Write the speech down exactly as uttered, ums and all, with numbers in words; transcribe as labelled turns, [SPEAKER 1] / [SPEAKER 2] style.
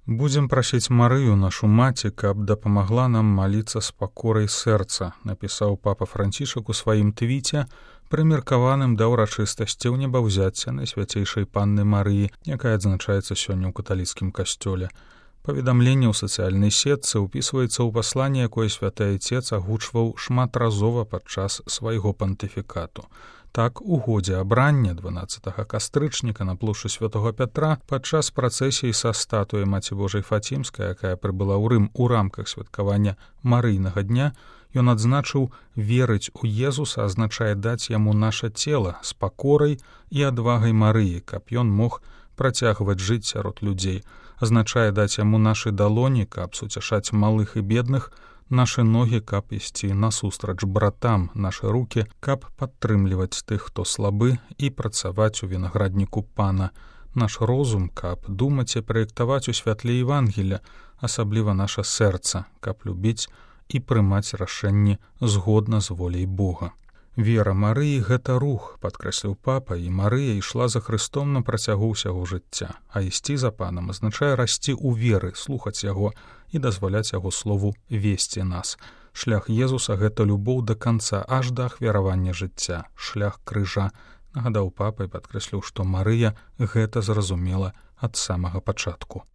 [SPEAKER 1] Будзем прасіць Марыю, нашу маці, каб дапамагла нам маліцца з пакорай сэрца, напісаў папа Францішак у сваім твіце, прымеркаваным да ўрачыстасці ў небаўзяцця Найсвяцейшай Панны Марыі, якая адзначаецца сёння ў каталіцкім касцёле. Паведамленне ў сацыяльнай сетцы ўпісваецца ў пасланне, якое святы айцец агучваў шматразова падчас свайго пантыфікату. Так, у годзе абрання дванаццатага кастрычніка на плошчы святога Пятра падчас працэсіі са статуяй Маці Божай Фацімскай, якая прыбыла ў Рым у рамках святкавання Марыйнага дня, ён адзначыў: «Верыць у Езуса азначае даць яму наша цела з пакорай і адвагай Марыі, каб ён мог працягваць жыць сярод людзей. Азначае даць яму нашы далоні, каб суцяшаць малых і бедных, нашы ногі, каб ісці насустрач братам, нашы рукі, каб падтрымліваць тых, хто слабы, і працаваць у вінаградніку Пана, наш розум, каб думаць і праектаваць у святле Евангелля, асабліва наша сэрца, каб любіць і прымаць рашэнні згодна з воляй Бога». Вера Марыі — гэта рух, падкрэсліў папа, і Марыя ішла за Хрыстом на працягу ўсяго жыцця, а ісці за Панам азначае расці ў веры, слухаць яго і дазваляць яго слову весці нас. Шлях Езуса — гэта любоў да канца, аж да ахвяравання жыцця, шлях крыжа, нагадаў папа і падкрэсліў, што Марыя гэта зразумела ад самага пачатку.